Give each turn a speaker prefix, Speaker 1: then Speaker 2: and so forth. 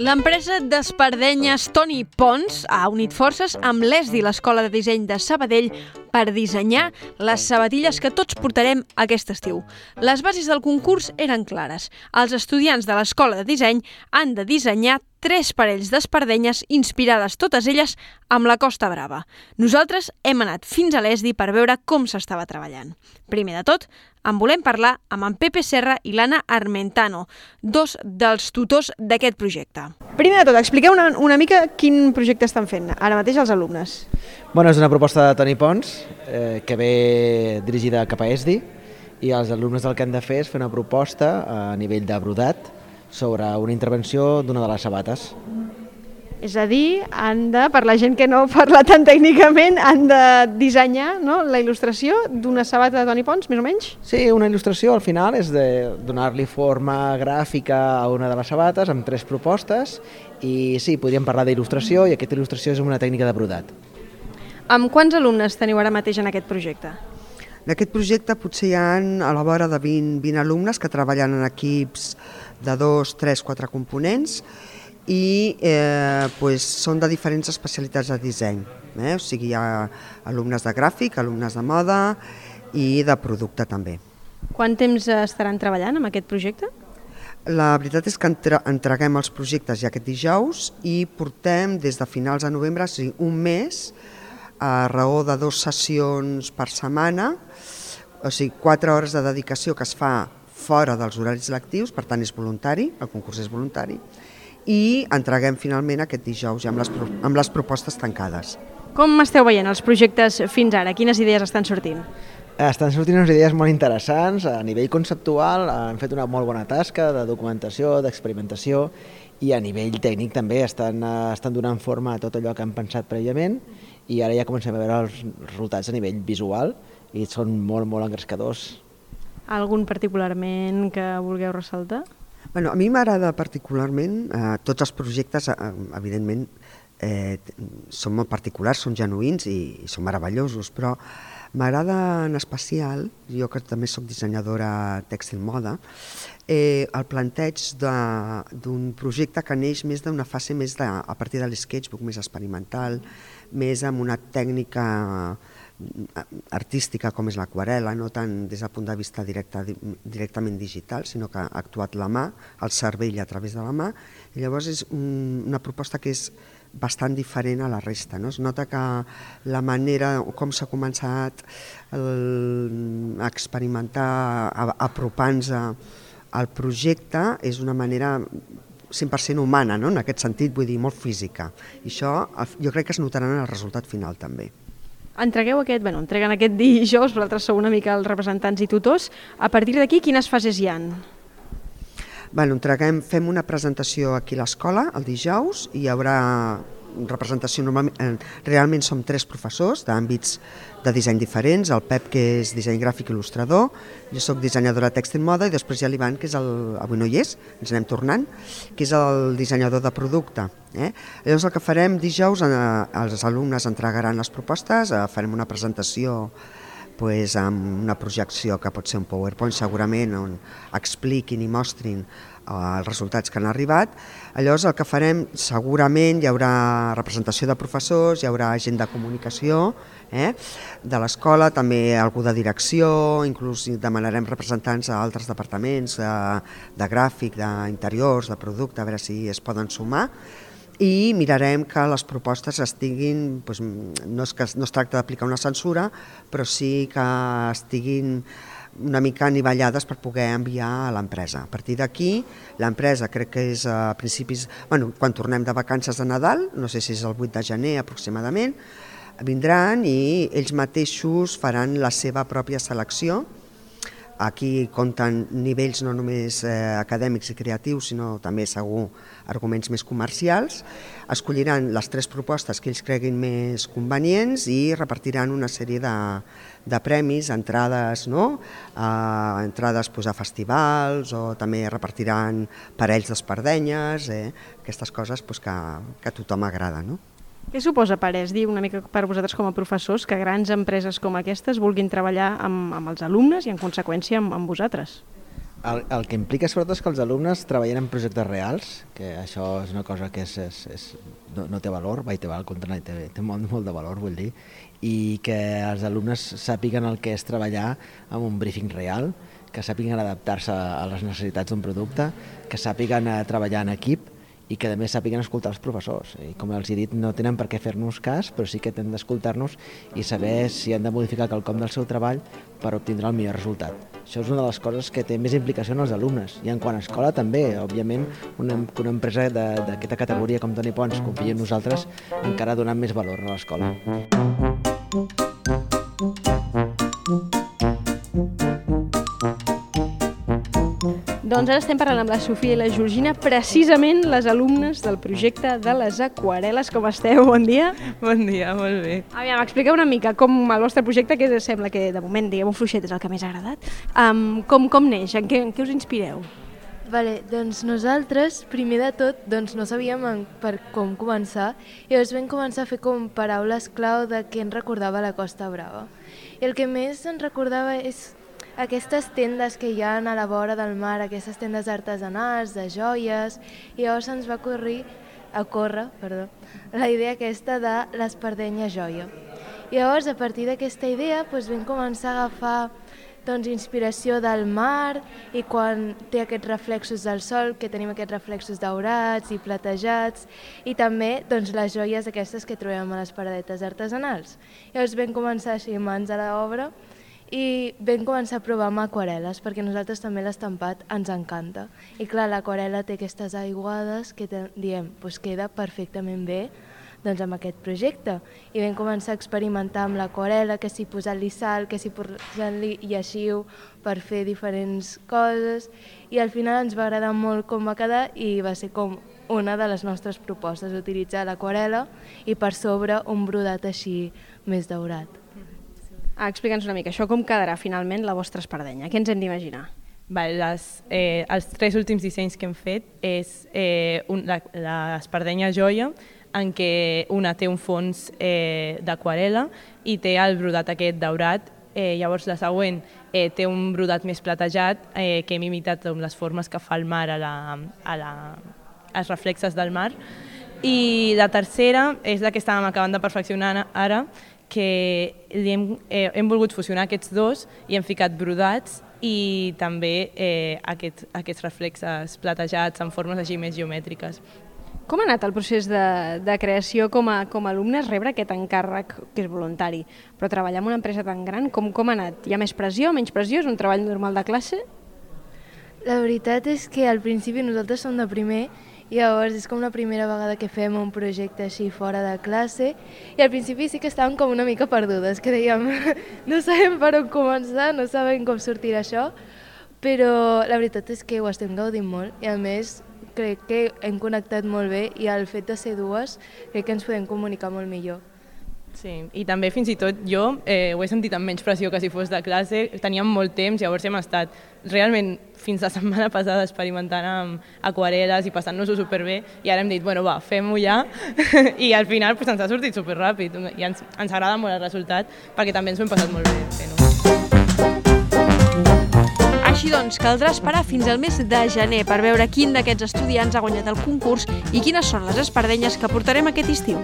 Speaker 1: L'empresa d'espardenyes Toni Pons ha unit forces amb l'ESDI, l'Escola de Disseny de Sabadell, per dissenyar les sabatilles que tots portarem aquest estiu. Les bases del concurs eren clares. Els estudiants de l'Escola de Disseny han de dissenyar 3 parells d'espardenyes inspirades totes elles amb la Costa Brava. Nosaltres hem anat fins a l'ESDI per veure com s'estava treballant. Primer de tot, en volem parlar amb en Pepe Serra i l'Anna Armentano, dos dels tutors d'aquest projecte. Primer de tot, expliqueu una mica quin projecte estan fent ara mateix els alumnes.
Speaker 2: És una proposta de Toni Pons que ve dirigida cap a ESDI i els alumnes el que han de fer és fer una proposta a nivell de brodat sobre una intervenció d'una de les sabates.
Speaker 1: És a dir, per la gent que no parla tan tècnicament, han de dissenyar la il·lustració d'una sabata de Toni Pons, més o menys?
Speaker 2: Sí, una il·lustració al final és de donar-li forma gràfica a una de les sabates amb 3 propostes i sí, podríem parlar d'il·lustració i aquesta il·lustració és una tècnica de brodat.
Speaker 1: Amb quants alumnes teniu ara mateix en aquest projecte?
Speaker 3: En aquest projecte potser hi ha a la vora de 20 alumnes que treballen en equips de 2, 3, 4 components i són de diferents especialitats de disseny. O sigui, hi ha alumnes de gràfic, alumnes de moda i de producte també.
Speaker 1: Quant temps estaran treballant amb aquest projecte?
Speaker 3: La veritat és que entreguem els projectes ja aquest dijous i portem des de finals de novembre, o sigui, un mes, a raó de 2 sessions per setmana, o sigui, 4 hores de dedicació que es fa fora dels horaris lectius, per tant és voluntari, el concurs és voluntari, i entreguem finalment aquest dijous ja amb les propostes tancades.
Speaker 1: Com esteu veient els projectes fins ara? Quines idees estan sortint?
Speaker 2: Estan sortint unes idees molt interessants. A nivell conceptual han fet una molt bona tasca de documentació, d'experimentació i a nivell tècnic també estan donant forma a tot allò que han pensat prèviament i ara ja comencem a veure els resultats a nivell visual i són molt, molt engrescadors.
Speaker 1: Algun particularment que vulgueu ressaltar?
Speaker 3: A mi m'agrada particularment, tots els projectes, evidentment, són molt particulars, són genuïns i són meravellosos, però m'agrada en especial, jo que també soc dissenyadora tèxtil moda, el planteig d'un projecte que neix més d'una fase més a partir de l'sketchbook, més experimental, més amb una tècnica artística com és l'aquarel·la, no tant des del punt de vista directament digital, sinó que ha actuat la mà, el cervell a través de la mà, i llavors és una proposta que és bastant diferent a la resta. Es nota que la manera com s'ha començat a experimentar, apropant-nos al projecte, és una manera 100% humana, en aquest sentit, vull dir, molt física. I això jo crec que es notarà en el resultat final també.
Speaker 1: Entreguen aquest dijous, vosaltres sou una mica els representants i tutors. A partir d'aquí, quines fases hi ha?
Speaker 3: Fem una presentació aquí a l'escola el dijous, hi haurà representació, realment som 3 professors d'àmbits de disseny diferents, el Pep, que és disseny gràfic il·lustrador, jo soc dissenyadora tèxtil moda i després hi ha l'Ivan, que avui no hi és, ens anem tornant, que és el dissenyador de producte. Llavors el que farem dijous, els alumnes entregaran les propostes, farem una presentació amb una projecció que pot ser un PowerPoint segurament, on expliquin i mostrin els resultats que han arribat. Llavors el que farem segurament hi haurà representació de professors, hi haurà gent de comunicació de l'escola, també algú de direcció, inclús demanarem representants a altres departaments de gràfic, d'interiors, de producte, a veure si es poden sumar. I mirarem que les propostes estiguin, no es tracta d'aplicar una censura, però sí que estiguin una mica anivellades per poder enviar a l'empresa. A partir d'aquí, l'empresa crec que és a principis, quan tornem de vacances de Nadal, no sé si és el 8 de gener aproximadament, vindran i ells mateixos faran la seva pròpia selecció. Aquí compten nivells no només acadèmics i creatius, sinó també segur arguments més comercials. Escolliran les 3 propostes que ells creguin més convenients i repartiran una sèrie de premis, entrades a festivals, o també repartiran parells d'espardenyes, aquestes coses que a tothom agrada.
Speaker 1: Què suposa per ESDI, una mica per vosaltres com a professors, que grans empreses com aquestes vulguin treballar amb els alumnes i en conseqüència amb vosaltres?
Speaker 2: El que implica sobretot és que els alumnes treballen en projectes reals, que això és una cosa que no té valor, al contrari, té molt de valor, vull dir, i que els alumnes sàpiguen el que és treballar amb un briefing real, que sàpiguen adaptar-se a les necessitats d'un producte, que sàpiguen treballar en equip i que també sàpiguen escoltar els professors. I com els he dit, no tenen per què fer-nos cas, però sí que tenen d'escoltar-nos i saber si han de modificar quelcom del seu treball per obtindre el millor resultat. Això és una de les coses que té més implicació en els alumnes. I en quant a escola també, òbviament, una empresa d'aquesta categoria com Toni Pons confia en nosaltres encara donant més valor a l'escola.
Speaker 1: Doncs ara estem parlant amb la Sofia i la Georgina, precisament les alumnes del projecte de les aquarel·les. Com esteu? Bon dia.
Speaker 4: Bon dia, molt bé.
Speaker 1: Aviam, expliqueu una mica com el vostre projecte, que sembla que de moment, diguem-ho fluixet, és el que més ha agradat. Com neix? En què us inspireu?
Speaker 5: Vale, doncs nosaltres, primer de tot, no sabíem per com començar i llavors vam començar a fer com paraules clau de què ens recordava la Costa Brava. I el que més ens recordava és aquestes tendes que hi ha a la vora del mar, aquestes tendes artesanals, de joies, i llavors ens va ocórrer la idea aquesta de l'Espardenya Joia. I llavors, a partir d'aquesta idea, vam començar a agafar inspiració del mar i quan té aquests reflexos del sol, que tenim aquests reflexos daurats i platejats, i també les joies aquestes que trobem a les paradetes artesanals. Llavors vam començar així mans a l'obra i vam començar a provar amb aquarel·les, perquè a nosaltres també l'estampat ens encanta. I clar, l'aquarel·la té aquestes aiguades que diem, queda perfectament bé amb aquest projecte. I vam començar a experimentar amb l'aquarel·la, que si posant-li sal, que si posant-li lleixiu per fer diferents coses, i al final ens va agradar molt com va quedar i va ser com una de les nostres propostes, utilitzar l'aquarel·la i per sobre un brodat així més daurat.
Speaker 1: Explica'ns una mica, això com quedarà finalment la vostra espardenya? Què ens hem d'imaginar?
Speaker 4: Els 3 últims dissenys que hem fet és l'espardenya joia, en què una té un fons d'aquarel·la i té el brodat aquest daurat. Llavors la següent té un brodat més platejat, que hem imitat les formes que fa el mar als reflexes del mar. I la tercera és la que estàvem acabant de perfeccionar ara, que hem volgut fusionar aquests dos i hem ficat brodats i també aquests reflexes platejats en formes així més geomètriques.
Speaker 1: Com ha anat el procés de creació com a alumnes, rebre aquest encàrrec que és voluntari, però treballar en una empresa tan gran, com ha anat? Hi ha més pressió, menys pressió? És un treball normal de classe?
Speaker 5: La veritat és que al principi nosaltres som de primer i llavors és com la primera vegada que fem un projecte així fora de classe i al principi sí que estàvem com una mica perdudes, que dèiem no sabem per on començar, no sabem com sortirà això, però la veritat és que ho estem gaudint molt i a més crec que hem connectat molt bé i el fet de ser dues crec que ens podem comunicar molt millor.
Speaker 4: Sí, i també fins i tot jo ho he sentit amb menys pressió que si fos de classe, teníem molt temps, llavors hem estat realment fins la setmana passada experimentant amb aquarel·les i passant-nos-ho superbé i ara hem dit, bueno va, fem-ho ja i al final ens ha sortit superràpid i ens agrada molt el resultat perquè també ens ho hem passat molt bé fent-ho.
Speaker 1: Així doncs, caldrà esperar fins al mes de gener per veure quin d'aquests estudiants ha guanyat el concurs i quines són les espardenyes que portarem aquest estiu.